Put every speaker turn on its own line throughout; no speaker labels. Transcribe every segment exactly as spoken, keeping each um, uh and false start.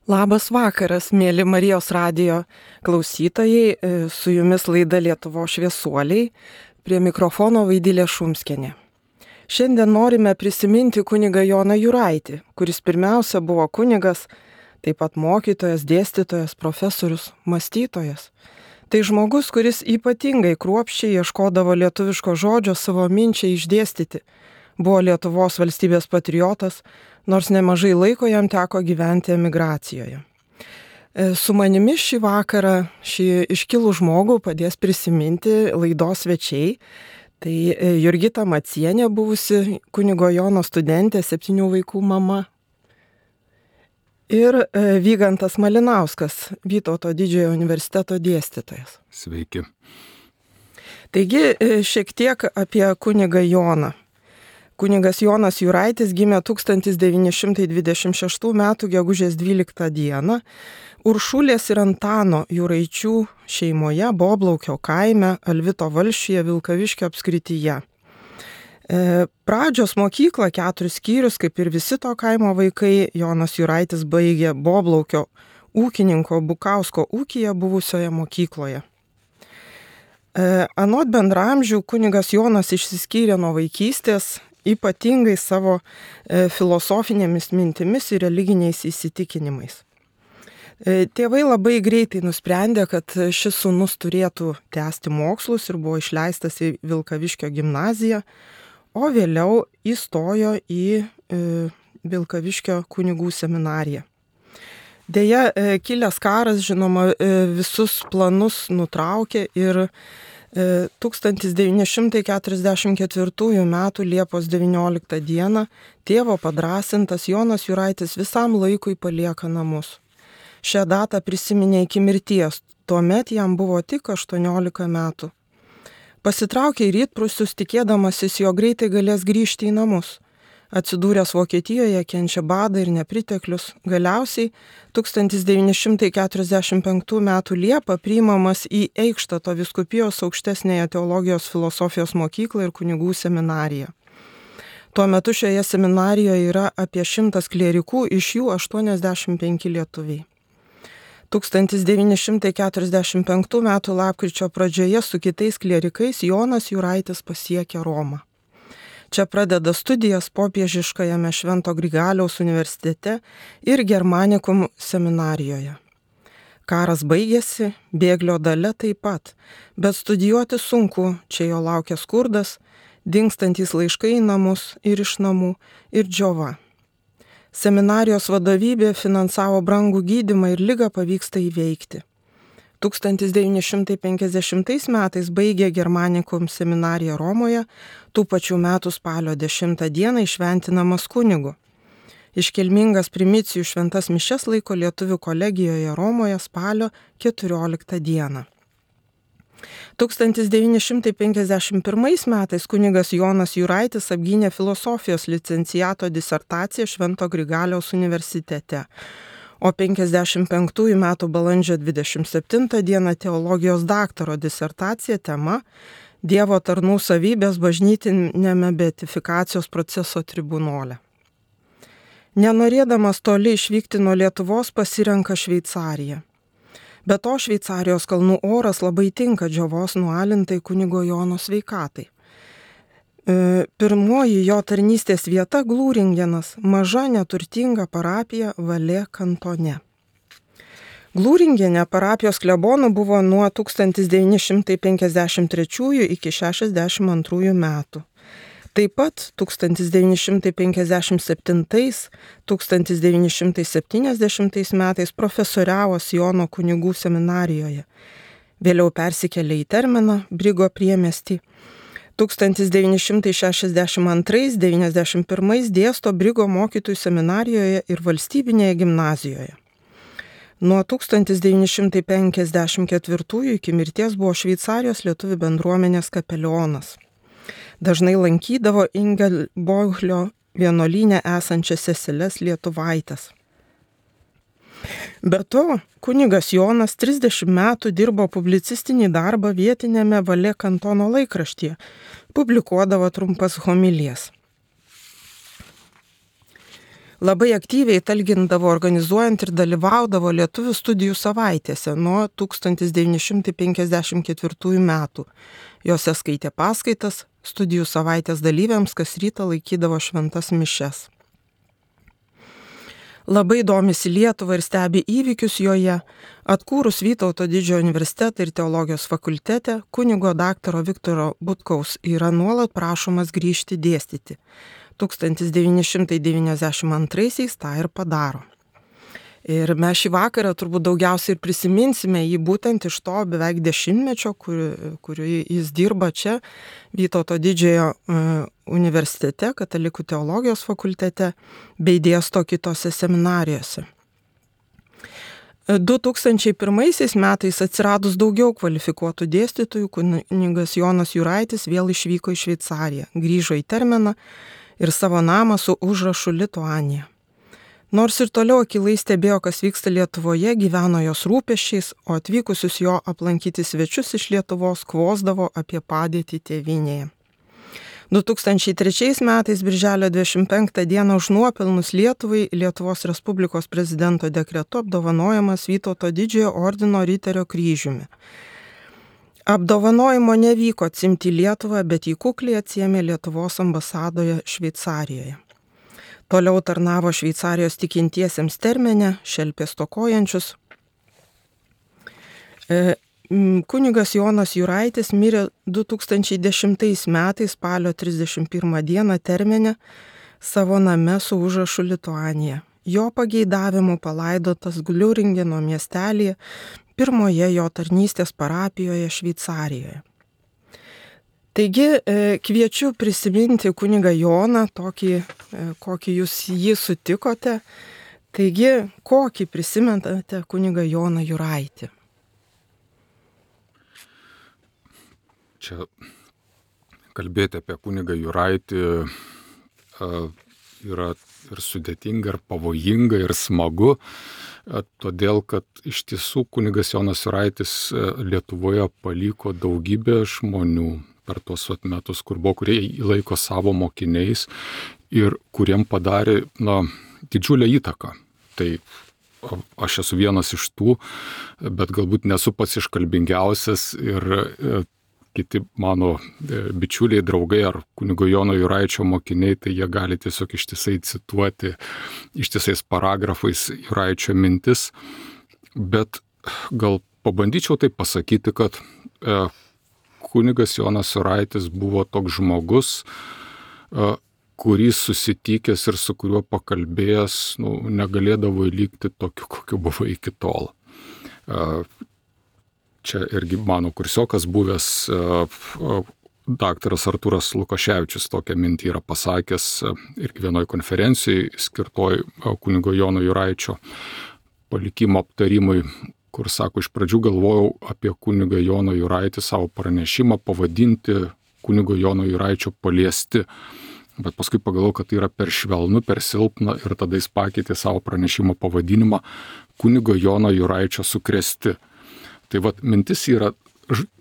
Labas vakaras, mėly Marijos radijo klausytojai, su jumis laida Lietuvos šviesuoliai, prie mikrofono Vaidilė Šumskienė. Šiandien norime prisiminti kunigą Joną Juraitį, kuris pirmiausia buvo kunigas, taip pat mokytojas, dėstytojas, profesorius, mąstytojas. Tai žmogus, kuris ypatingai kruopščiai ieškodavo lietuviško žodžio savo minčiai išdėstyti. Buvo Lietuvos valstybės patriotas, nors nemažai laiko jam teko gyventi emigracijoje. Su manimi šį vakarą šį iškilų žmogų padės prisiminti laidos svečiai. Tai Jurgita Macienė, buvusi kunigo Jono studentė, septynių vaikų mama. Ir Vygantas Malinauskas, Vytauto didžiojo universiteto dėstytojas.
Sveiki.
Taigi šiek tiek apie kunigą Joną. Kunigas Jonas Juraitis gimė tūkstantis devyni šimtai dvidešimt šeštų metų gegužės dvyliktą dieną Uršulės ir Antano Juraičių šeimoje Boblaukio kaime Alvito valsčiuje Vilkaviškio apskrityje. E, pradžios mokyklą keturis skyrius, kaip ir visi to kaimo vaikai, Jonas Juraitis baigė Boblaukio ūkininko Bukausko ūkyje buvusioje mokykloje. E, anot bendramžių kunigas Jonas išsiskyrė nuo vaikystės, ypatingai savo e, filosofinėmis mintimis ir religiniais įsitikinimais. E, tėvai labai greitai nusprendė, kad šis sūnus turėtų tęsti mokslus ir buvo išleistas į Vilkaviškio gimnaziją, o vėliau įstojo į e, Vilkaviškio kunigų seminariją. Deja, e, kilęs karas, žinoma, e, visus planus nutraukė ir tūkstantis devyni šimtai keturiasdešimt ketvirtųjų metų Liepos devynioliktą dieną tėvo padrąsintas Jonas Juraitis visam laikui palieka namus. Šią datą prisiminė iki mirties, tuomet jam buvo tik aštuoniolika metų. Pasitraukė į rytprūsius, tikėdamasis, jo greitai galės grįžti į namus. Atsidūręs Vokietijoje kenčia badą ir nepriteklius. Galiausiai tūkstantis devyni šimtai keturiasdešimt penktų metų Liepą priimamas į Eichštato vyskupijos aukštesnėje teologijos filosofijos mokyklą ir kunigų seminariją. Tuo metu šioje seminarijoje yra apie šimtas klierikų, iš jų aštuoniasdešimt penki lietuviai. tūkstantis devyni šimtai keturiasdešimt penktų metų lapkričio pradžioje su kitais klierikais Jonas Juraitis pasiekė Romą. Čia pradeda studijas popiežiškajame Švento Grigaliaus universitete ir Germanikum seminarijoje. Karas baigėsi, bėglio dalia taip pat, bet studijuoti sunku, čia jo laukia skurdas, dingstantys laiškai į namus ir iš namų ir džiova. Seminarijos vadovybė finansavo brangų gydymą ir ligą pavyksta įveikti. tūkstantis devyni šimtai penkiasdešimtais metais baigė Germanikum seminariją Romoje, tų pačių metų spalio dešimtą dieną įšventinamas kunigu. Iškilmingas primicijų šventas mišias laiko lietuvių kolegijoje Romoje spalio keturioliktą dieną. tūkstantis devyni šimtai penkiasdešimt pirmais metais kunigas Jonas Juraitis apgynė filosofijos licenciato disertaciją Švento Grigaliaus universitete. O penkiasdešimt penktųjų metų balandžio dvidešimt septintą dieną teologijos daktaro disertacija tema Dievo tarnų savybės bažnytiniame beatifikacijos proceso tribunole. Nenorėdamas toli išvykti nuo Lietuvos pasirenka Šveicariją. Be to Šveicarijos kalnų oras labai tinka džiovos nualintai kunigo Jono sveikatai. Pirmoji jo tarnystės vieta Glūringenas, maža neturtinga parapija Valė kantone. Glūringene parapijos klebonu buvo nuo tūkstantis devyni šimtai penkiasdešimt trečiųjų iki šešiasdešimt antrųjų metų. Taip pat tūkstantis devyni šimtai penkiasdešimt septintais - tūkstantis devyni šimtai septyniasdešimtais metais profesoriavo Siono kunigų seminarijoje. Vėliau persikėlė į Terminą, Brigo priemiestį. tūkstantis devyni šimtai šešiasdešimt antrais - devyniasdešimt pirmais dėsto Brigo mokytojų seminarijoje ir valstybinėje gimnazijoje. Nuo tūkstantis devyni šimtai penkiasdešimt ketvirtųjų iki mirties buvo Šveicarijos lietuvių bendruomenės kapelionas. Dažnai lankydavo Ingelboglio vienuolyne esančias seseles lietuvaites. Be to, kunigas Jonas trisdešimt metų dirbo publicistinį darbą vietinėme Valė kantono laikraštyje, publikuodavo trumpas homilijas. Labai aktyviai talgindavo organizuojant ir dalyvaudavo lietuvių studijų savaitėse nuo tūkstantis devyni šimtai penkiasdešimt ketvirtųjų metų. Jose skaitė paskaitas, studijų savaitės dalyviams kas rytą laikydavo šventas mišias. Labai domisi Lietuvą ir stebi įvykius joje. Atkūrus Vytauto didžiojo universitetą ir teologijos fakultete, kunigo daktaro Viktoro Butkaus yra nuolat prašomas grįžti dėstyti. tūkstantis devyni šimtai devyniasdešimt antraisiais tą ir padaro. Ir mes šį vakarą turbūt daugiausiai ir prisiminsime jį būtent iš to beveik dešimtmečio, kur, kurį jis dirba čia Vytauto didžiojo universitete, katalikų teologijos fakultete, bei dėsto kitose seminarijose. du tūkstančiai pirmaisiais metais atsiradus daugiau kvalifikuotų dėstytojų, kunigas Jonas Juraitis vėl išvyko į Šveicariją, grįžo į Termeną ir savo namą su užrašu Lituanija. Nors ir toliau akylai stebėjo, kas vyksta Lietuvoje, gyveno jos rūpesčiais, o atvykusius jo aplankyti svečius iš Lietuvos kvosdavo apie padėtį tėvynėje. du tūkstančiai trečiais metais birželio dvidešimt penktą dieną už nuopelnus Lietuvai Lietuvos Respublikos prezidento dekretu apdovanojamas Vytauto didžiojo ordino Riterio kryžiumi. Apdovanojimo nevyko atsimti Lietuvą, bet jį kukliai atsiėmė Lietuvos ambasadoje Šveicarijoje. Toliau tarnavo Šveicarijos tikintiesiems Termene, šelpė stokojančius. E, Kunigas Jonas Juraitis mirė du tūkstančiai dešimtais metais spalio trisdešimt pirmą dieną Termene savo name su užrašu Lituanija. Jo pageidavimu palaidotas Gliuringeno miestelėje, pirmoje jo tarnystės parapijoje Šveicarijoje. Taigi kviečiu prisiminti kunigą Joną, tokį, kokį jūs jį sutikote. Taigi, kokį prisimenate kunigą Joną Juraitį?
Čia kalbėti apie kunigą Juraitį yra ir sudėtinga, ir pavojinga, ir smagu, todėl kad iš tiesų kunigas Jonas Juraitis Lietuvoje paliko daugybę žmonių per tuos metus, kur buvo, kurie jį laiko savo mokiniais ir kuriem padarė na, didžiulę įtaką. Tai aš esu vienas iš tų, bet galbūt nesu pats iškalbingiausias ir kiti mano bičiuliai, draugai ar kunigo Jono Juraičio mokiniai, tai jie gali tiesiog ištisai cituoti ištisais paragrafais Juraičio mintis. Bet gal pabandyčiau taip pasakyti, kad e, kunigas Jonas Juraitis buvo toks žmogus, e, kurį susitikęs ir su kuriuo pakalbėjęs, nu, negalėdavo įlygti tokiu, kokiu buvo iki tol. E, Čia irgi mano kursiokas buvęs daktaras Artūras Lukaševičius tokią mintį yra pasakęs irgi vienoje konferencijoje skirtoj kunigo Jono Juraičio palikimo aptarimui, kur sako, iš pradžių galvojau apie kunigą Jono Juraitį savo pranešimą pavadinti kunigo Jono Juraičio paliesti. Bet paskui pagalvojau, kad tai yra per švelnu, per silpna ir tada jis pakeitė savo pranešimo pavadinimą kunigo Jono Juraičio sukrėsti. Tai vat mintis yra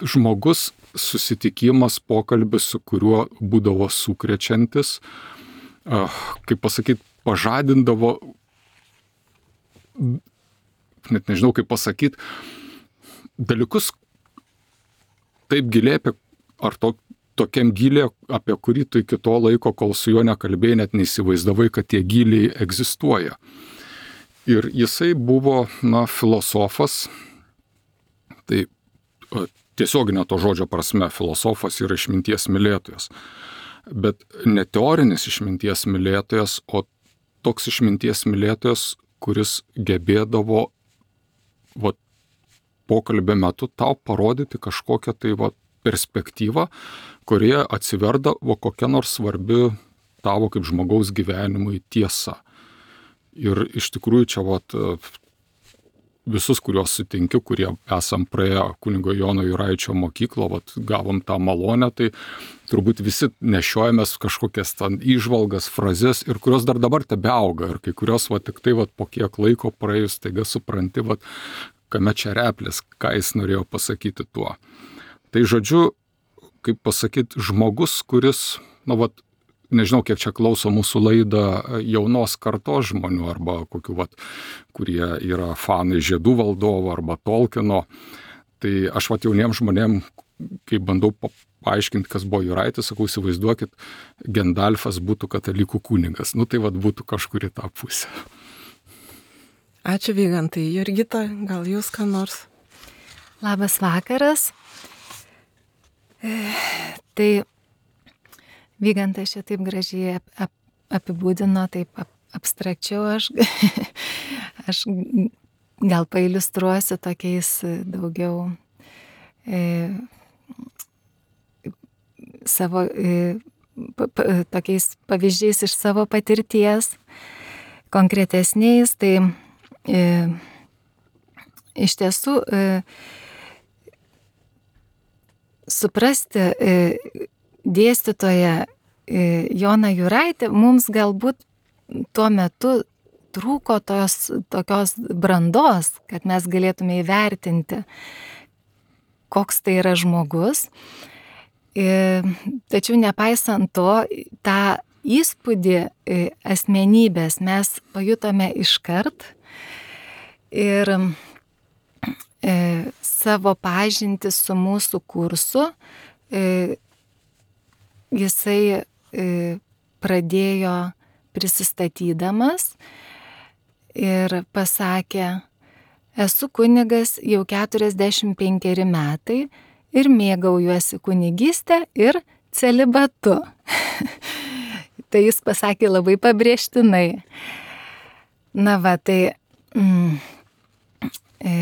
žmogus, susitikimas, pokalbis, su kuriuo būdavo sukrečiantis, kaip pasakyti, pažadindavo, net nežinau kaip pasakyti, dalykus taip giliai, apie, ar to, tokiam giliai, apie kurį tu iki to laiko, kol su juo nekalbėjai, net neįsivaizdavai, kad tie giliai egzistuoja. Ir jisai buvo, na, filosofas. Tai tiesioginė to žodžio prasme filosofas yra išminties mylėtojas. Bet ne teorinis išminties mylėtojas, o toks išminties mylėtojas, kuris gebėdavo va, pokalbio metu tau parodyti kažkokią tai va, perspektyvą, kurioje atsiverdavo kokia nors svarbi tavo kaip žmogaus gyvenimui tiesa. Ir iš tikrųjų čia va, visus, kuriuos sutinkiu, kurie esam praėję kunigo Jono Juraičio mokyklą, vat, gavom tą malonę, tai turbūt visi nešiojamės kažkokias ten įžvalgas, frazes, ir kurios dar dabar tebeauga. Ir kai kurios vat, tik tai vat, po kiek laiko praėjus, taiga supranti, vat, kame čia replės, ką jis norėjo pasakyti tuo. Tai žodžiu, kaip pasakyti, žmogus, kuris, na, vat, nežinau, kiek čia klauso mūsų laidą jaunos kartos žmonių arba kokių, vat, kurie yra fanai Žiedų valdovo arba Tolkieno. Tai aš vat jauniems žmonėm, kai bandau paaiškinti, kas buvo Juraitis, sakau, įsivaizduokit, Gendalfas būtų katalikų kunigas. Nu tai vat būtų kažkur į tą pusę.
Ačiū, Vygantai. Jurgita, gal jūs ką nors?
Labas vakaras. E, tai Vygantas čia taip gražiai ap, ap, apibūdino, taip ap, abstrakčiau aš, aš gal pailiustruosiu tokiais daugiau e, savo, e, pa, pa, tokiais pavyzdžiais iš savo patirties, konkretesniais. Tai e, iš tiesų e, suprasti e, dėstytoją e, Joną Juraitį mums galbūt tuo metu trūko tos tokios brandos, kad mes galėtume įvertinti, koks tai yra žmogus. E, tačiau nepaisant to, tą įspūdį e, asmenybės mes pajutome iškart ir e, savo pažintį su mūsų kursu e, jisai e, pradėjo prisistatydamas ir pasakė: esu kunigas jau keturiasdešimt penkeri metai ir mėgaujuosi kunigystę ir celibatu. Tai jis pasakė labai pabrėžtinai. Na va, tai mm, e,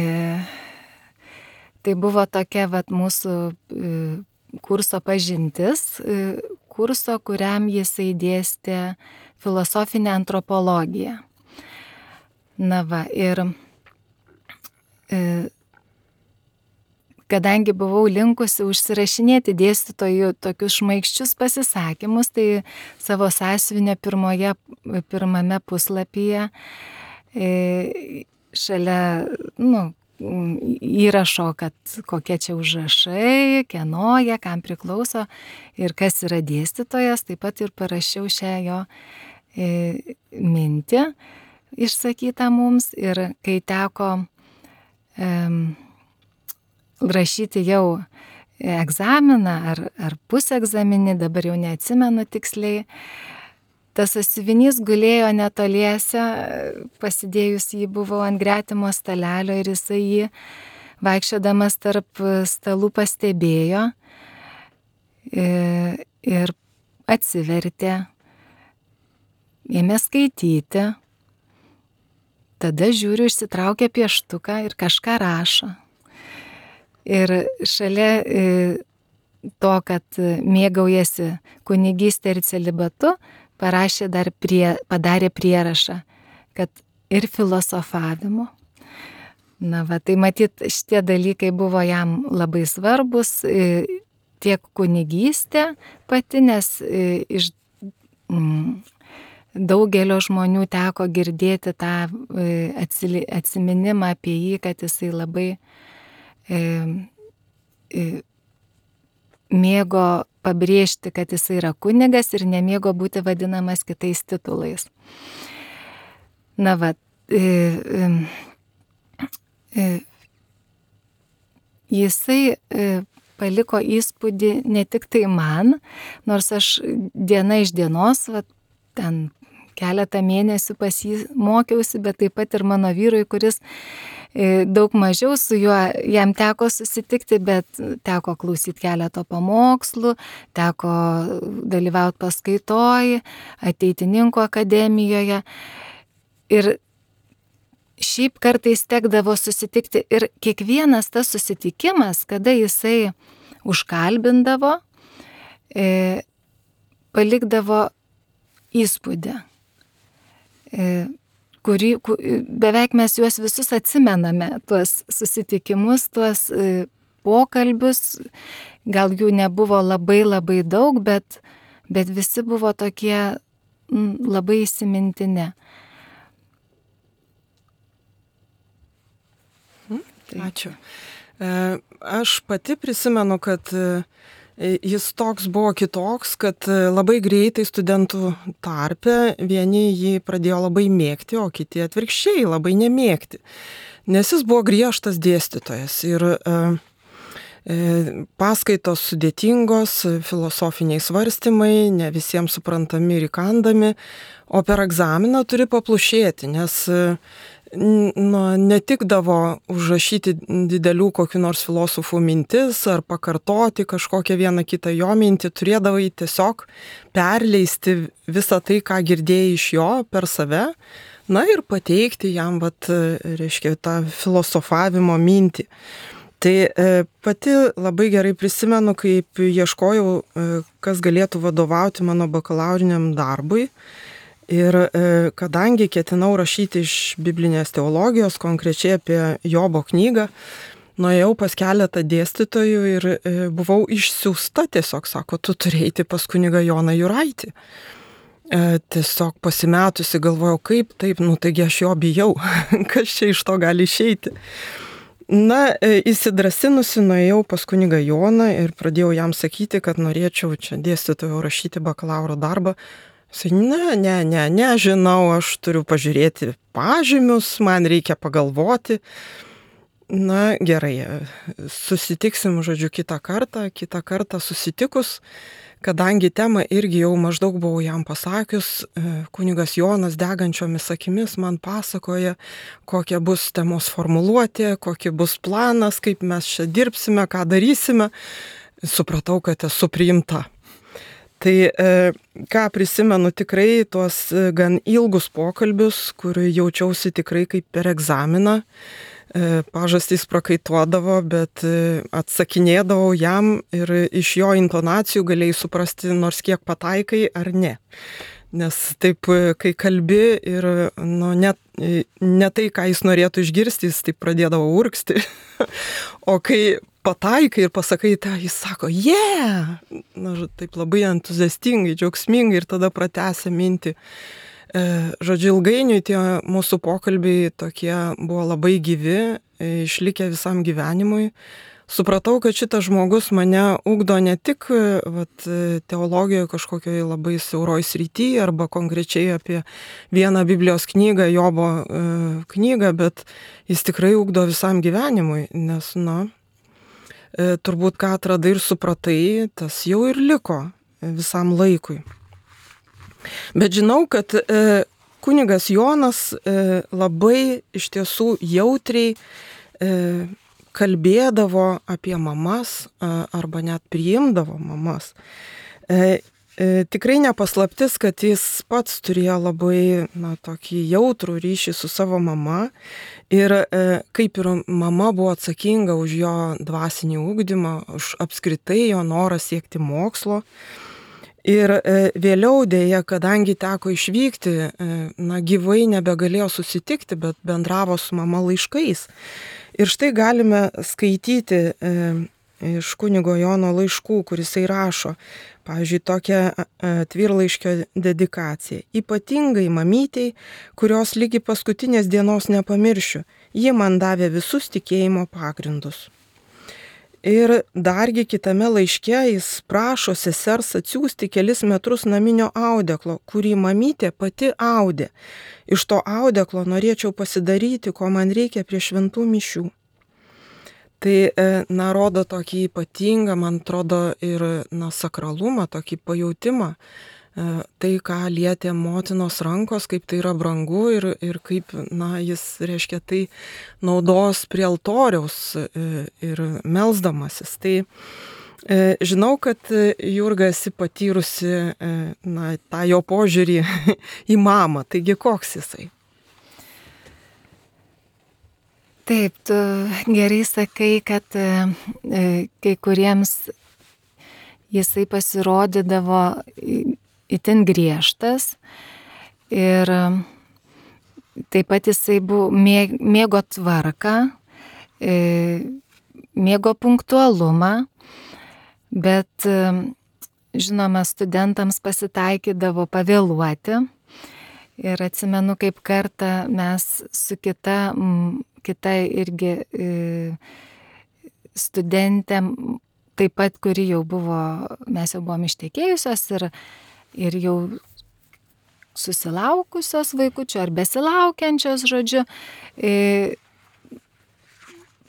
tai buvo tokia vat mūsų e, kurso pažintis, e, kurso, kuriam jisai dėstė filosofinę antropologiją. Na va, ir e, kadangi buvau linkusi užsirašinėti dėstytojų tokius šmaikščius pasisakymus, tai savo sąsiuvinio pirmoje, pirmame puslapyje e, šalia, nu, įrašo, kad kokie čia užrašai, kieno jie, kam priklauso ir kas yra dėstytojas, taip pat ir parašiau šią jo e, mintį išsakytą mums. Ir kai teko e, rašyti jau egzaminą ar, ar pusegzaminį, dabar jau neatsimenu tiksliai, tas sąsiuvinys gulėjo netoliese, pasidėjus jį buvo ant gretimo stalelio ir jisai jį vaikščiodamas tarp stalų pastebėjo ir atsivertė, ėmė skaityti. Tada žiūriu, išsitraukia pieštuką ir kažką rašo. Ir šalia to, kad mėgaujasi kunigystė ir celibatu, parašė dar prie, padarė prierašą, kad ir filosofavimu. Na va, tai matyt, šitie dalykai buvo jam labai svarbus, tiek kunigystė pati, nes iš mm, daugelio žmonių teko girdėti tą atsiminimą apie jį, kad jisai labai e, e, mėgo pabrėžti, kad jisai yra kunigas ir nemėgo būti vadinamas kitais titulais. Na va, e, e, e, jisai e, paliko įspūdį ne tik tai man, nors aš diena iš dienos, va, ten keletą mėnesių pas jį mokiausi, bet taip pat ir mano vyrui, kuris daug mažiau su juo, jam teko susitikti, bet teko klausyti keletą pamokslų, teko dalyvauti paskaitoj, ateitininkų akademijoje. Ir šiaip kartais tekdavo susitikti ir kiekvienas tas susitikimas, kada jisai užkalbindavo, e, palikdavo įspūdį. E, kurį, beveik mes juos visus atsimename, tuos susitikimus, tuos pokalbius, gal jų nebuvo labai labai daug, bet, bet visi buvo tokie labai įsimintini.
Ačiū. Aš pati prisimenu, kad jis toks buvo kitoks, kad labai greitai studentų tarpe vieni jį pradėjo labai mėgti, o kiti atvirkščiai labai nemėgti. Nes jis buvo griežtas dėstytojas ir e, e, paskaitos sudėtingos, filosofiniai svarstymai, ne visiems suprantami ir įkandami, o per egzaminą turi paplušėti, nes nu, netikdavo užrašyti didelių kokių nors filosofų mintis ar pakartoti kažkokią vieną kitą jo mintį, turėdavai tiesiog perleisti visą tai, ką girdėjai iš jo per save, na ir pateikti jam, vat, reiškia, tą filosofavimo mintį. Tai e, pati labai gerai prisimenu, kaip ieškojau, e, kas galėtų vadovauti mano bakalauriniam darbui. Ir e, kadangi ketinau rašyti iš biblinės teologijos, konkrečiai apie Jobo knygą, nuėjau pas keletą dėstytojų ir e, buvau išsiųsta, tiesiog sako, tu turi eiti pas kunigą Joną Juraitį. E, tiesiog pasimetusi galvojau, kaip taip, nu taigi aš jo bijau, kas čia iš to gali išeiti. Na, e, įsidrasinusi nuėjau pas kunigą Joną ir pradėjau jam sakyti, kad norėčiau čia dėstytojų rašyti bakalauro darbą. Ne, ne, ne, nežinau, aš turiu pažiūrėti pažymius, man reikia pagalvoti. Na, gerai, susitiksim, žodžiu, kitą kartą, kitą kartą susitikus, kadangi temą irgi jau maždaug buvau jam pasakius, kunigas Jonas degančiomis akimis man pasakoja, kokia bus temos formuluotė, kokia bus planas, kaip mes čia dirbsime, ką darysime. Supratau, kad esu priimta. Tai e, ką prisimenu tikrai tuos gan ilgus pokalbius, kur jaučiausi tikrai kaip per egzaminą, e, pažastys prakaituodavo, bet e, atsakinėdavau jam ir iš jo intonacijų galėjai suprasti nors kiek pataikai ar ne. Nes taip, kai kalbi ir nu, ne, ne tai, ką jis norėtų išgirsti, jis taip pradėdavo urgzti, o kai pataikai ir pasakai, tai jis sako, yeah! Na, taip labai entuziastingai, džiaugsmingai ir tada pratęsia mintį. E, žodžiu, ilgainiui tie mūsų pokalbiai tokie buvo labai gyvi, išlikę visam gyvenimui. Supratau, kad šitas žmogus mane ugdo ne tik vat, teologijoje kažkokioje labai siauroj srityje arba konkrečiai apie vieną Biblijos knygą, Jobo e, knygą, bet jis tikrai ugdo visam gyvenimui, nes, na, E, turbūt ką atradai ir supratai, tas jau ir liko visam laikui. Bet žinau, kad e, kunigas Jonas e, labai iš tiesų jautriai e, kalbėdavo apie mamas e, arba net priimdavo mamas. E, e, tikrai nepaslaptis, kad jis pats turėjo labai na, tokį jautrų ryšį su savo mama. Ir e, kaip ir mama buvo atsakinga už jo dvasinį ugdymą, už apskritai jo norą siekti mokslo. Ir e, vėliau dėja, kadangi teko išvykti, e, na, gyvai nebegalėjo susitikti, bet bendravo su mama laiškais. Ir štai galime skaityti e, iš kunigo Jono laiškų, kuris jisai rašo, pavyzdžiui, tokią atvirlaiškio dedikaciją. Ypatingai mamytei, kurios lygi paskutinės dienos nepamiršiu, ji man davė visus tikėjimo pagrindus. Ir dargi kitame laiške jis prašo sesers atsiųsti kelis metrus naminio audeklo, kurį mamytė pati audė. Iš to audeklo norėčiau pasidaryti, ko man reikia prie šventų mišių. Tai, na, rodo tokį ypatingą, man atrodo, ir, na, sakralumą, tokį pajautimą, tai, ką lietė motinos rankos, kaip tai yra brangu ir, ir kaip, na, jis, reiškia, tai naudos prie altoriaus ir melsdamasis. Tai žinau, kad Jurga esi patyrusi, na, tą jo požiūrį į mamą, taigi koks jisai?
Taip, tu gerai sakai, kad e, kai kuriems jisai pasirodydavo itin griežtas ir taip pat jisai buvo, mėgo tvarką, e, mėgo punktualumą, bet žinoma, studentams pasitaikydavo pavėluoti. Ir atsimenu, kaip kartą mes su kita kita irgi studentė taip pat, kuri jau buvo, mes jau buvom ištekėjusios ir, ir jau susilaukusios vaikučių ar besilaukiančios, žodžiu,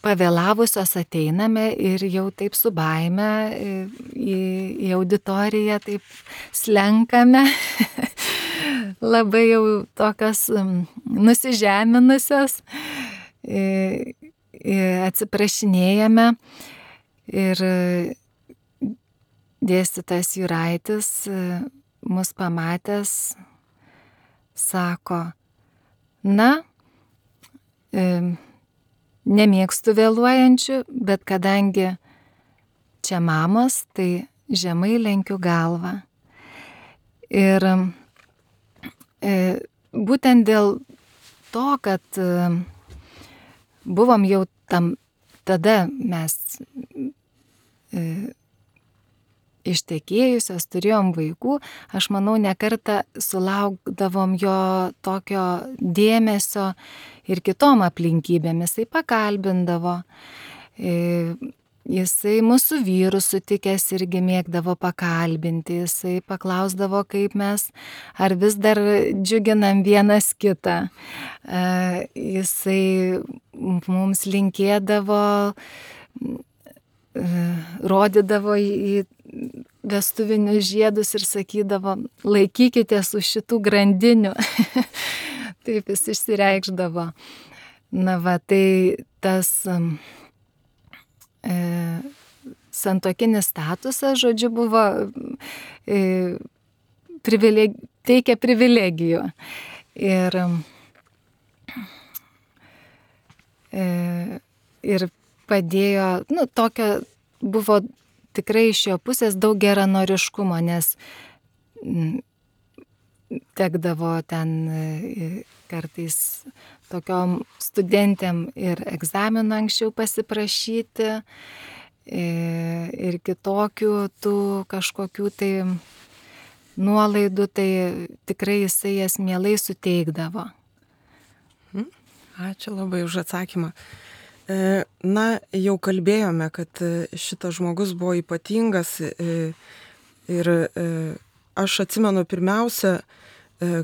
pavėlavusios ateiname ir jau taip su baime į, į auditoriją taip slenkame, labai jau tokios nusižeminusios, atsiprašinėjame ir dėstytojas Juraitis mus pamatęs sako, na, e, nemėgstu vėluojančių, bet kadangi čia mamos, tai žemai lenkiu galvą. Ir e, būtent dėl to, kad e, buvom jau tam, tada mes e, ištekėjusios, turėjom vaikų, aš manau, ne kartą sulaukdavom jo tokio dėmesio ir kitom aplinkybėm. Jisai pakalbindavo, jisai mūsų vyrus sutikęs irgi mėgdavo pakalbinti, jisai paklausdavo, kaip mes, ar vis dar džiuginam vienas kitą. Jisai mums linkėdavo, rodydavo į vestuvinius žiedus ir sakydavo, laikykitės už šitų grandinių. Taip jis išsireikšdavo. Na va, tai tas e, santuokinis statusas, žodžiu, buvo e, privileg, teikia privilegijų. Ir, e, ir padėjo, nu, tokio buvo tikrai iš jo pusės daug geranoriškumo, nes tekdavo ten kartais tokiom studentėm ir egzamino anksčiau pasiprašyti ir kitokių tų kažkokių tai nuolaidų, tai tikrai jisai jas mielai suteikdavo.
Ačiū labai už atsakymą. Na, jau kalbėjome, kad šitas žmogus buvo ypatingas ir aš atsimenu pirmiausia,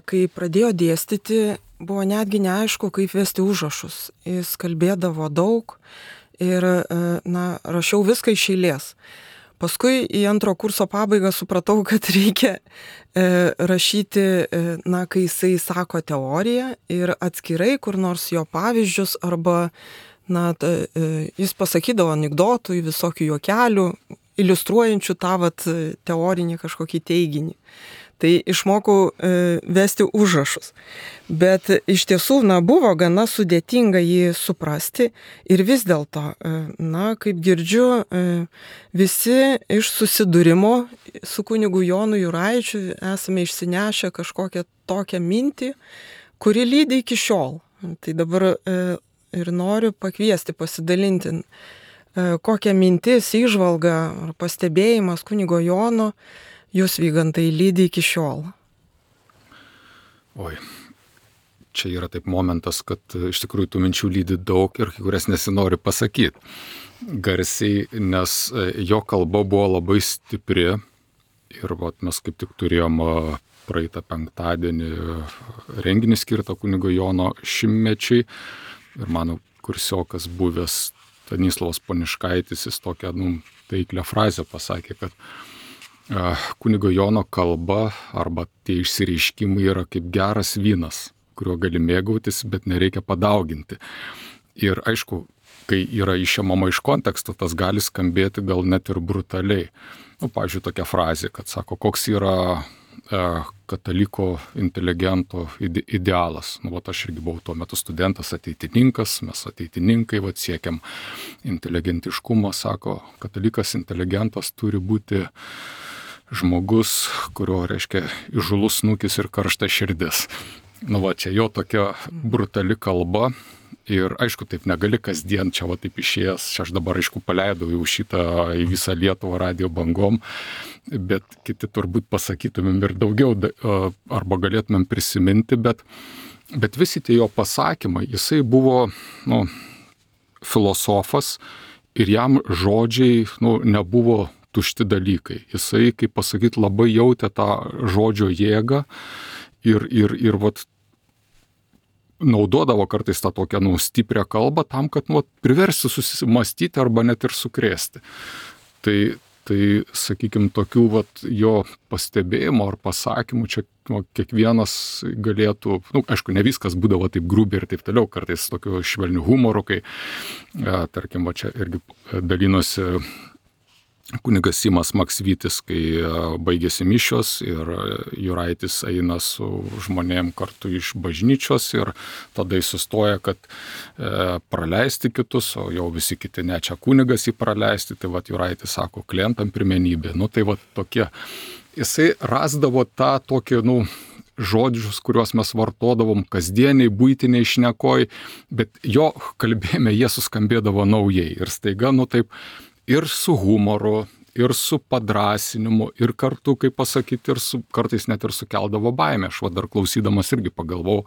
kai pradėjo dėstyti, buvo netgi neaišku, kaip vesti užrašus. Jis kalbėdavo daug ir, na, rašiau viską iš eilės. Paskui į antro kurso pabaigą supratau, kad reikia rašyti, na, kai jisai sako teoriją ir atskirai kur nors jo pavyzdžius arba na, ta, jis pasakydavo anekdotų, visokių juokelių, iliustruojančių tą vat, teorinį kažkokį teiginį. Tai išmokau e, vesti užrašus. Bet iš tiesų, na, buvo gana sudėtinga jį suprasti ir vis dėlto, e, na, kaip girdžiu, e, visi iš susidūrimo su kunigu Jonu Juraičiu esame išsinešę kažkokią tokią mintį, kuri lydi iki šiol. Tai dabar e, ir noriu pakviesti, pasidalinti, kokią mintis, įžvalgą ar pastebėjimas kunigo Jono jūs, Vygantai, lydi iki šiol.
Oi, čia yra taip momentas, kad iš tikrųjų tų minčių lydi daug ir kai kurias nesinori pasakyti garsiai, nes jo kalba buvo labai stipri ir vat, mes kaip tik turėjom praeitą penktadienį renginį skirtą kunigo Jono šimtmečiui. Ir mano kursiokas buvęs Stanislavas Poniškaitis, jis tokią, nu, taiklią frazę pasakė, kad uh, kunigo Jono kalba arba tie išsireiškimai yra kaip geras vynas, kuriuo gali mėgautis, bet nereikia padauginti. Ir aišku, kai yra išėmama iš konteksto, tas gali skambėti gal net ir brutaliai. Nu, pavyzdžiui, tokia frazė, kad sako, koks yra kataliko inteligento idealas. Nu, vat aš irgi buvau tuo metu studentas, ateitininkas, mes ateitininkai, vat siekiam inteligentiškumo, sako, katalikas inteligentas turi būti žmogus, kurio, reiškia, įžulus snukis ir karšta širdis. Nu, va, čia jo tokia brutali kalba. Ir aišku, taip negali kasdien čia va taip išėjęs, čia aš dabar aišku paleidau jau šitą į visą Lietuvą radijo bangom, bet kiti turbūt pasakytumėm ir daugiau, arba galėtumėm prisiminti, bet, bet visi tie jo pasakymai, jisai buvo, nu, filosofas ir jam žodžiai, nu, nebuvo tušti dalykai. Jisai, kaip pasakyti, labai jautė tą žodžio jėgą ir, ir, ir vat, naudodavo kartais tą tokią, nu, stiprią kalbą tam, kad, nu, priversti susimastyti arba net ir sukrėsti. Tai, tai sakykime, tokių vat, jo pastebėjimų ar pasakymų čia, nu, kiekvienas galėtų, nu, aišku, ne viskas būdavo taip grubiai ir taip toliau, kartais tokiu švelniu humoru, kai, e, tarkim, va čia irgi dalinosi kunigas Simas Maksvytis, kai baigėsi mišios ir Juraitis eina su žmonėm kartu iš bažnyčios ir tada jis sustoja, kad e, praleisti kitus, o jau visi kiti ne, čia kunigas jį praleisti, tai vat Juraitis sako, klientam pirmenybė. Nu tai vat tokie, jisai rasdavo tą tokį, nu, žodžius, kuriuos mes vartodavom kasdieniai, buitiniai šnekoj, bet jo kalbėjime jie suskambėdavo naujai ir staiga, nu taip, ir su humoru, ir su padrasinimu, ir kartu, kaip pasakyti, ir su, kartais net ir sukeldavo baimę. Aš va dar klausydamas irgi pagalvojau,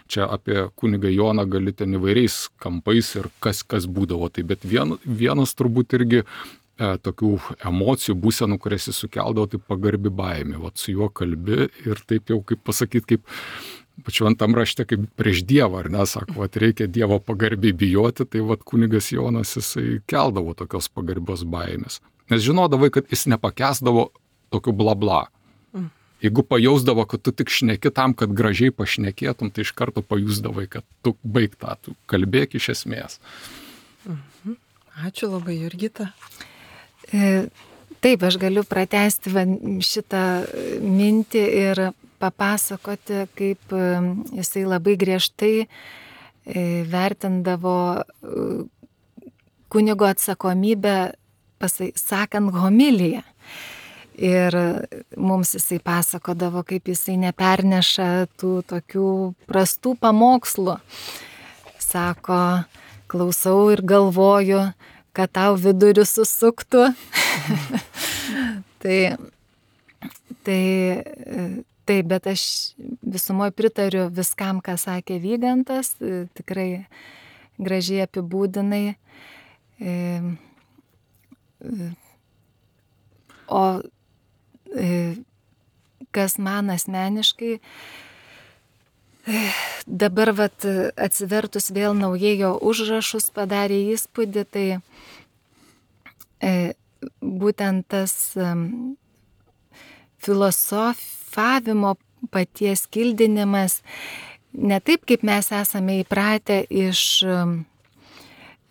čia apie kunigą Joną gali ten įvairiais kampais ir kas, kas būdavo. Tai bet vien, vienas turbūt irgi e, tokių emocijų, būsenų, kurias jis sukeldavo, tai pagarbi baimė. Vat su juo kalbi ir taip jau, kaip pasakyti, kaip šventam rašte, kaip prieš Dievą, ar ne, sako, vat reikia Dievo pagarbiai bijoti, tai vat kunigas Jonas jisai keldavo tokios pagarbios baimės. Nes žinodavai, kad jis nepakęsdavo tokių bla bla. Jeigu pajausdavo, kad tu tik šneki tam, kad gražiai pašnekėtum, tai iš karto pajusdavai, kad tu baig tą, tu kalbėk iš esmės.
Ačiū labai, Jurgita.
E, taip, aš galiu pratęsti šitą mintį ir papasakoti, kaip jisai labai griežtai vertindavo kunigo atsakomybę, pasakant homiliją. Ir mums jisai pasakodavo, kaip jisai neperneša tų tokių prastų pamokslų. Sako, klausau ir galvoju, kad tau vidurių susuktų. tai, tai Taip, bet aš visumoje pritariu viskam, ką sakė Vygantas, tikrai gražiai apibūdinai. O kas man asmeniškai, dabar vat, atsivertus vėl naujai jo užrašus padarė įspūdį, tai būtent tas filosofavimo paties kildinimas, ne taip, kaip mes esame įpratę iš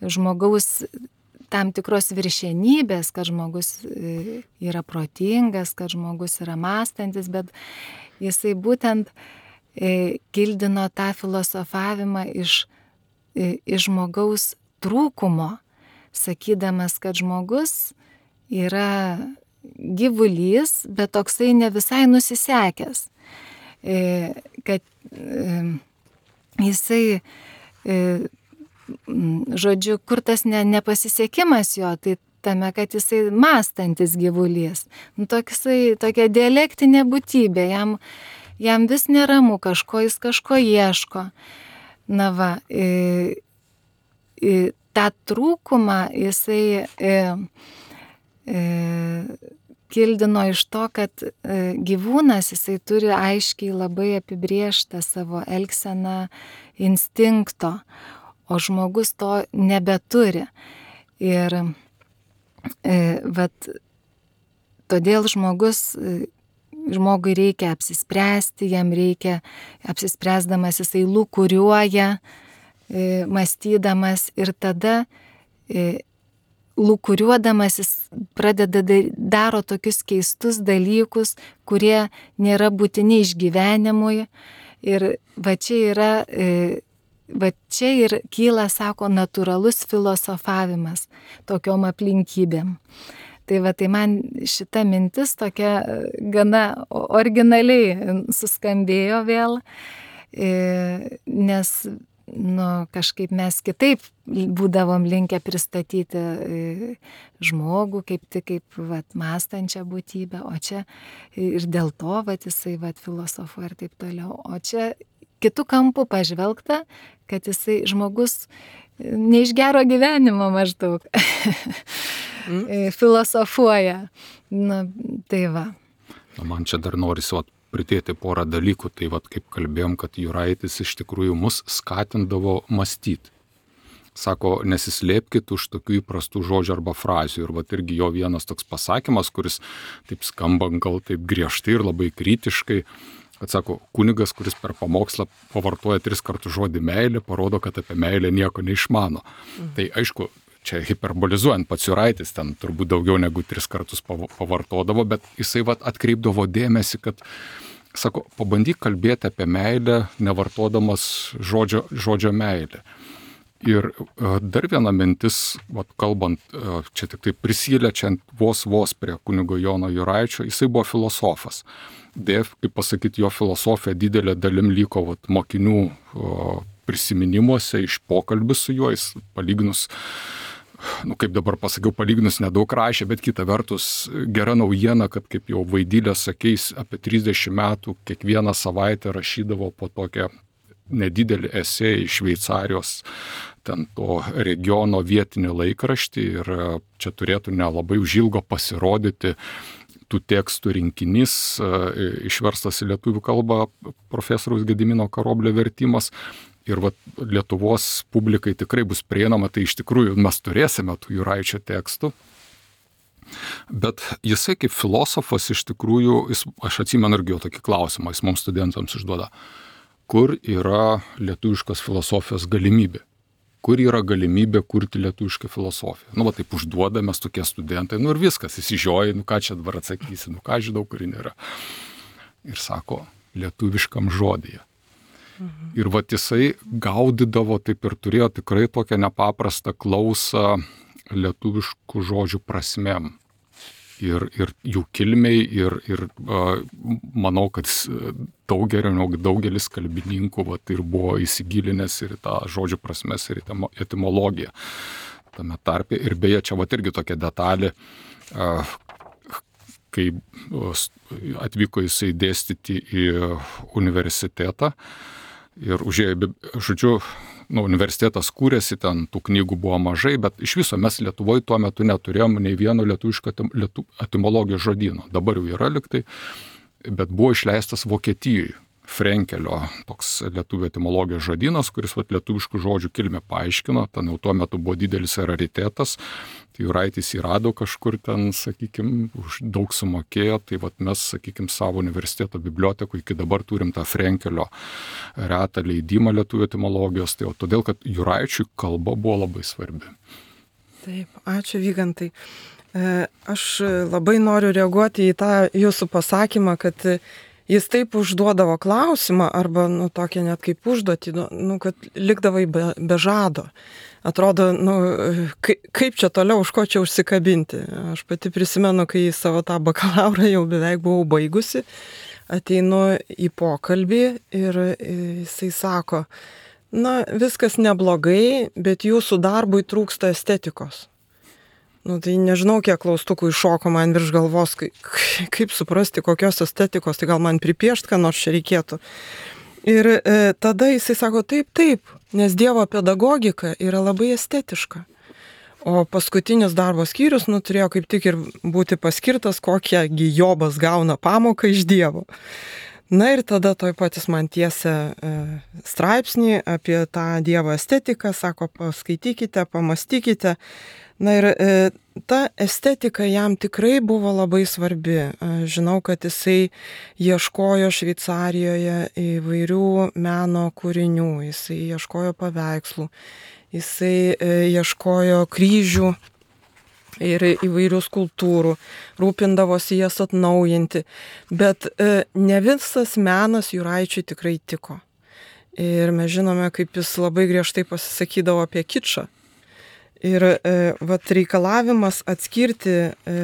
žmogaus tam tikros viršenybės, kad žmogus yra protingas, kad žmogus yra mąstantis, bet jisai būtent kildino tą filosofavimą iš, iš žmogaus trūkumo, sakydamas, kad žmogus yra gyvulys, bet toksai ne visai nusisekęs. Kad jisai, žodžiu, kur tas ne, nepasisekimas jo, tai tame, kad jisai mąstantis gyvulys. Nu, toksai, tokia dialektinė būtybė, jam, jam vis neramu, kažko jis kažko ieško. Na va, i, i, tą trūkumą jisai i, i, kildino iš to, kad e, gyvūnas jisai turi aiškiai labai apibrėžtą savo elgseną instinkto, o žmogus to nebeturi. Ir e, vat, todėl žmogus, e, žmogui reikia apsispręsti, jam reikia, apsispręsdamas jisai lūkuriuoja, e, mąstydamas ir tada e, lūkuriuodamas jis pradeda daro tokius keistus dalykus, kurie nėra būtini išgyvenimui. Ir va čia yra, va čia ir kyla, sako, natūralus filosofavimas tokiom aplinkybėm. Tai va, tai man šita mintis tokia gana originaliai suskambėjo vėl, nes nu, kažkaip mes kitaip būdavom linkę pristatyti žmogų kaip tik kaip vat, mąstančią būtybę, o čia ir dėl to vat, jisai vat, filosofuoja ir taip toliau. O čia kitų kampų pažvelgta, kad jisai žmogus ne iš gero gyvenimo maždaug
Mm.
filosofuoja. Na, tai va.
Na, man čia dar norisi vat, pridėti porą dalykų. Tai vat, kaip kalbėjom, kad Juraitis iš tikrųjų mus skatindavo mąstyti. Sako, nesislėpkit už tokių įprastų žodžių arba frazių. Ir vat irgi jo vienas toks pasakymas, kuris taip skamba gal taip griežtai ir labai kritiškai, kad sako, kunigas, kuris per pamokslą pavartoja tris kartus žodį meilė, parodo, kad apie meilę nieko neišmano. Mhm. Tai aišku, čia hiperbolizuojant, pats Juraitis ten turbūt daugiau negu tris kartus pavartodavo, bet jisai vat atkreipdavo dėmesį, kad, sako, pabandyk kalbėti apie meilę, nevartodamas žodžio, žodžio meilė. Ir dar viena mintis, vat, kalbant, čia tik tai prisiliečiant vos vos prie kunigo Jono Juraičio, jisai buvo filosofas. Deja, kaip pasakyti, jo filosofija didelė dalim liko vat, mokinių o, prisiminimuose iš pokalbių su juo, jis palyginus, nu kaip dabar pasakiau, palyginus nedaug rašė, bet kita vertus gera naujiena, kad kaip jau Vaidylė sakys, apie trisdešimt metų kiekvieną savaitę rašydavo po tokią nedidelį esė iš Šveicarijos, ten to regiono vietinį laikraštį ir čia turėtų nelabai užilgo pasirodyti tų tekstų rinkinys, išverstas į lietuvių kalbą profesoriaus Gedimino Karoblio vertimas. Ir vat, Lietuvos publikai tikrai bus prieinama, tai iš tikrųjų mes turėsime tų Juraičio tekstų. Bet jisai kaip filosofas iš tikrųjų, jis, aš atsimenu irgi jo tokį klausimą, jis mums studentams užduoda, kur yra lietuviškos filosofijos galimybė? Kur yra galimybė kurti lietuvišką filosofiją? Nu, va taip užduoda mes tokie studentai, nu ir viskas, įsižioja, nu ką čia dabar atsakysi, nu ką žinau, kur nėra. Ir sako, lietuviškam žodyje. Mhm. Ir va jisai gaudydavo, taip ir turėjo tikrai tokią nepaprastą klausą lietuviškų žodžių prasmėm. Ir, ir jų kilmiai, ir, ir uh, manau, kad daugelis, daugelis kalbininkų va, ir buvo įsigilinęs ir tą žodžių prasmes, ir etimologiją tame tarpe. Ir beje, čia va irgi tokia detalė, uh, kai atvyko jisai dėstyti į universitetą ir užėjo, žodžiu, nu, universitetas kūrėsi, ten tų knygų buvo mažai, bet iš viso mes Lietuvoje tuo metu neturėjom nei vieno lietuviško etimologijos žodyno. Dabar jau yra liktai, bet buvo išleistas Vokietijoje Frenkelio toks lietuvių etimologijos žodynas, kuris vat, lietuviškų žodžių kilmę paaiškino. Ten jau tuo metu buvo didelis raritetas. Tai Juraitis įrado kažkur ten, sakykime, už daug sumokėjo. Tai vat, mes, sakykime, savo universiteto bibliotekų iki dabar turim tą Frenkelio retą leidimą lietuvių etimologijos. Tai jau todėl, kad Juraičiui kalba buvo labai svarbi.
Taip, ačiū Vygantai. Aš labai noriu reaguoti į tą jūsų pasakymą, kad jis taip užduodavo klausimą, arba, nu, tokia net kaip užduotį, nu, kad likdavai be, be žado. Atrodo, nu, kaip, kaip čia toliau, už ko čia užsikabinti. Aš pati prisimenu, kai savo tą bakalaurą jau beveik buvau baigusi, ateinu į pokalbį ir jisai sako, na, viskas neblogai, bet jūsų darbui trūksta estetikos. Nu, tai nežinau, kiek klaustukų iššoko man virš galvos, kaip, kaip suprasti, kokios estetikos, tai gal man pripiešt, ką nors čia reikėtų. Ir e, tada jisai sako, taip, taip, nes Dievo pedagogika yra labai estetiška. O paskutinis darbo skyrius, nu, turėjo kaip tik ir būti paskirtas, kokiagi Jobas gauna pamoką iš Dievo. Na ir tada toj patys man tiesia e, straipsnį apie tą Dievo estetiką, sako, paskaitykite, pamastykite. Na ir e, ta estetika jam tikrai buvo labai svarbi. Žinau, kad jisai ieškojo Šveicarijoje įvairių meno kūrinių, jisai ieškojo paveikslų, jisai e, ieškojo kryžių ir įvairių skulptūrų, rūpindavosi jas atnaujinti, bet e, ne visas menas Juraičiui tikrai tiko. Ir mes žinome, kaip jis labai griežtai pasisakydavo apie kičą. Ir e, vat reikalavimas atskirti e,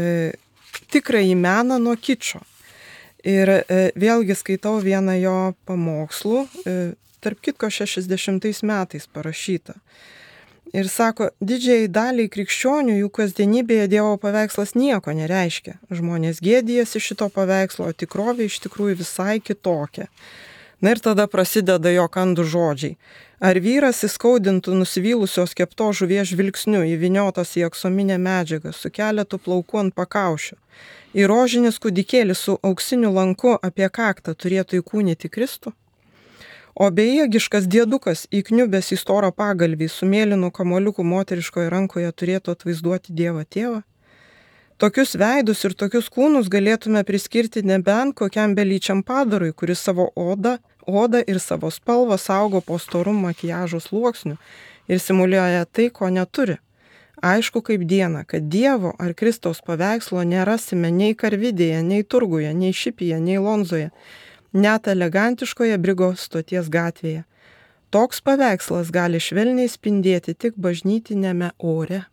tikrąjį meną nuo kičo. Ir e, vėlgi skaitau vieną jo pamokslų, e, tarp kitko šešiasdešimtais metais parašyta. Ir sako, didžiai daliai krikščionių jų kasdienybėje Dievo paveikslas nieko nereiškia. Žmonės gėdijasi šito paveikslo, o tikrovė iš tikrųjų visai kitokia. Na ir tada prasideda jo kandų žodžiai. Ar vyras įskaudintų nusivylusios kepto žuvies žvilgsniu, įviniotas į aksominę medžiagą, su keletu plaukų ant pakaušio, į rožinis kūdikėlis su auksiniu lanku apie kaktą turėtų įkūnyti Kristų? O bejėgiškas diedukas, įkniubęs į storą pagalvį, su mėlynu kamoliuku moteriškoje rankoje turėtų atvaizduoti Dievą tėvą? Tokius veidus ir tokius kūnus galėtume priskirti nebent kokiam belyčiam padarui, kuris savo odą, odą ir savo spalvą saugo po storu makiažo sluoksniu ir simuliuoja tai, ko neturi. Aišku kaip diena, kad Dievo ar Kristaus paveikslo nerasime nei Karvidėje, nei Turguje, nei Šipyje, nei Lonzoje, net elegantiškoje Brigo stoties gatvėje. Toks paveikslas gali švelniai spindėti tik bažnytinėme ore.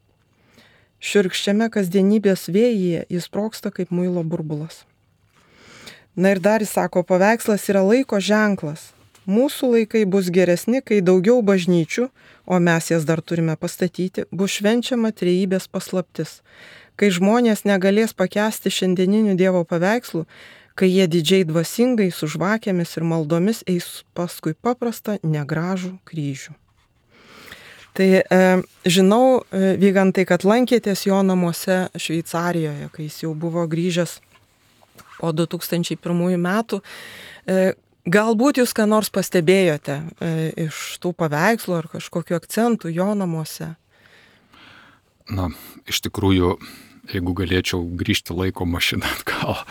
Šiurkščiame kasdienybės vėjyje jis sprogsta kaip muilo burbulas. Na ir dar jis sako, paveikslas yra laiko ženklas. Mūsų laikai bus geresni, kai daugiau bažnyčių, o mes jas dar turime pastatyti, bus švenčiama trejybės paslaptis. Kai žmonės negalės pakęsti šiandieninių Dievo paveikslų, kai jie didžiai dvasingai su žvakėmis ir maldomis eis paskui paprastą negražų kryžių. Tai e, žinau, e, Vygantai, kad lankėtės jo namuose Šveicarijoje, kai jis jau buvo grįžęs po du tūkstančiai pirmųjų metų. E, galbūt jūs ką nors pastebėjote e, iš tų paveikslų ar kažkokiu akcentų jo namuose?
Na, iš tikrųjų, jeigu galėčiau grįžti laiko mašiną atgal,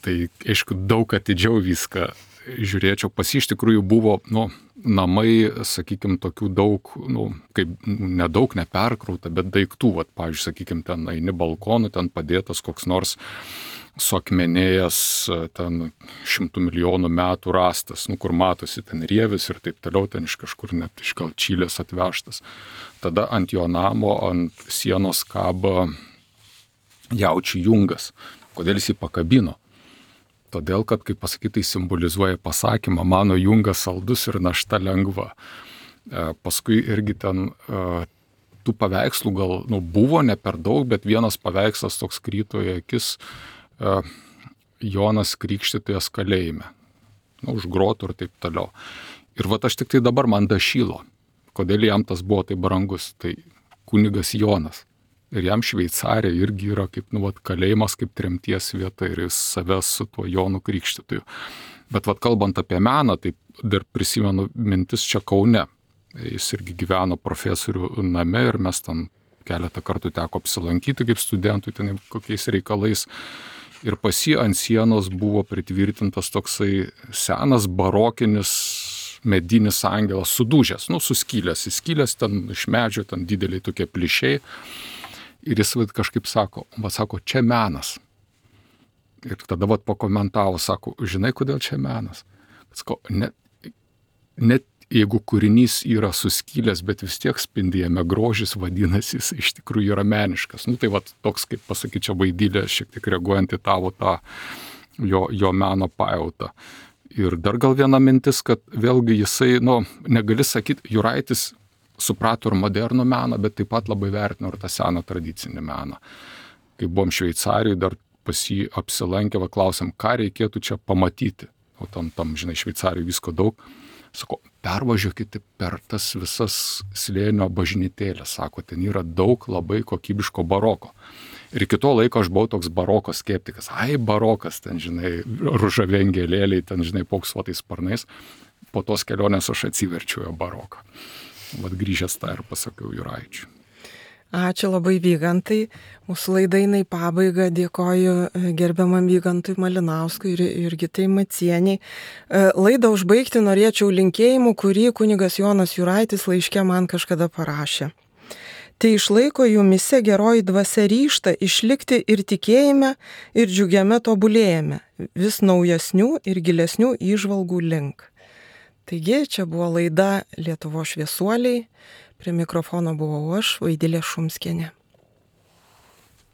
tai aišku, daug atidžiau viską žiūrėčiau. Pas jį iš tikrųjų buvo, nu, namai, sakykime, tokių daug, nu, kaip nedaug, neperkrauta, bet daiktų, vat, pavyzdžiui, sakykime, ten eini balkonu, ten padėtas koks nors suakmenėjęs, ten šimtų milijonų metų rastas, nu, kur matosi ten rievis ir taip toliau, ten iš kažkur net iš gal Čilės atvežtas. Tada ant jo namo, ant sienos kaba jaučių jungas. Kodėl jis jį pakabino? Todėl, kad, kaip pasakyti, simbolizuoja pasakymą, mano jungas saldus ir našta lengva. E, paskui irgi ten e, tų paveikslų gal, nu, buvo ne per daug, bet vienas paveikslas toks kryto į akis, e, Jonas Krikštytojas kalėjime, nu, už grotų ir taip toliau. Ir vat aš tik tai dabar man dašylo, kodėl jam tas buvo taip brangus, tai kunigas Jonas. Ir jam Šveicarija irgi yra kaip, nu, vat, kalėjimas, kaip tremties vieta ir jis savęs su tuo Jonu Krikštytoju. Bet vat, kalbant apie meną, tai dar prisimenu mintis čia Kaune. Jis irgi gyveno profesorių name ir mes ten keletą kartų teko apsilankyti kaip studentui ten kokiais reikalais. Ir pas jį ant sienos buvo pritvirtintas toksai senas barokinis medinis angelas, sudužęs, nu, suskylęs, įskylęs ten iš medžio, ten dideliai tokie plyšiai. Ir jis vat, kažkaip sako, va, sako, čia menas. Ir tada vat, pakomentavo, sako, žinai, kodėl čia menas? Sako, net, net jeigu kūrinys yra suskylęs, bet vis tiek spindėjame grožis, vadinasi, jis iš tikrųjų yra meniškas. Nu, tai vat, toks, kaip pasakyčiau, vaidylė, šiek tiek reaguojant į tavo tą jo, jo meno pajautą. Ir dar gal viena mintis, kad vėlgi jisai, nu, negali sakyti, Juraitis suprato ir modernų meną, bet taip pat labai vertino ir tą seną tradicinį meną. Kai buvom Šveicarijoje, dar pas jį apsilankę, va, klausėm, ką reikėtų čia pamatyti. O tam, tam žinai, Šveicarijoje visko daug. Sako, pervažiuokite per tas visas slėnio bažnytėlės. Sako, ten yra daug labai kokybiško baroko. Ir iki to laiko aš buvau toks baroko skeptikas. Ai, barokas, ten, žinai, ružavengėlėliai, ten, žinai, poksuotais sparnais. Po tos kelionės aš atsiverčiau jo baroką. Vat grįžęs tą ir pasakiau Juraičiui.
Ačiū labai, Vygantai. Mūsų laida eina į pabaigą. Dėkoju gerbiamam Vygantui Malinauskui ir Jurgitai Macieniai. Laidą užbaigti norėčiau linkėjimu, kurį kunigas Jonas Juraitis laiške man kažkada parašė. Tai išlaiko jumise geroji dvasia ryžtą išlikti ir tikėjime, ir džiugiame tobulėjime, vis naujesnių ir gilesnių įžvalgų link. Taigi, čia buvo laida Lietuvos šviesuoliai, prie mikrofono buvau aš, Vaidilė Šumskienė.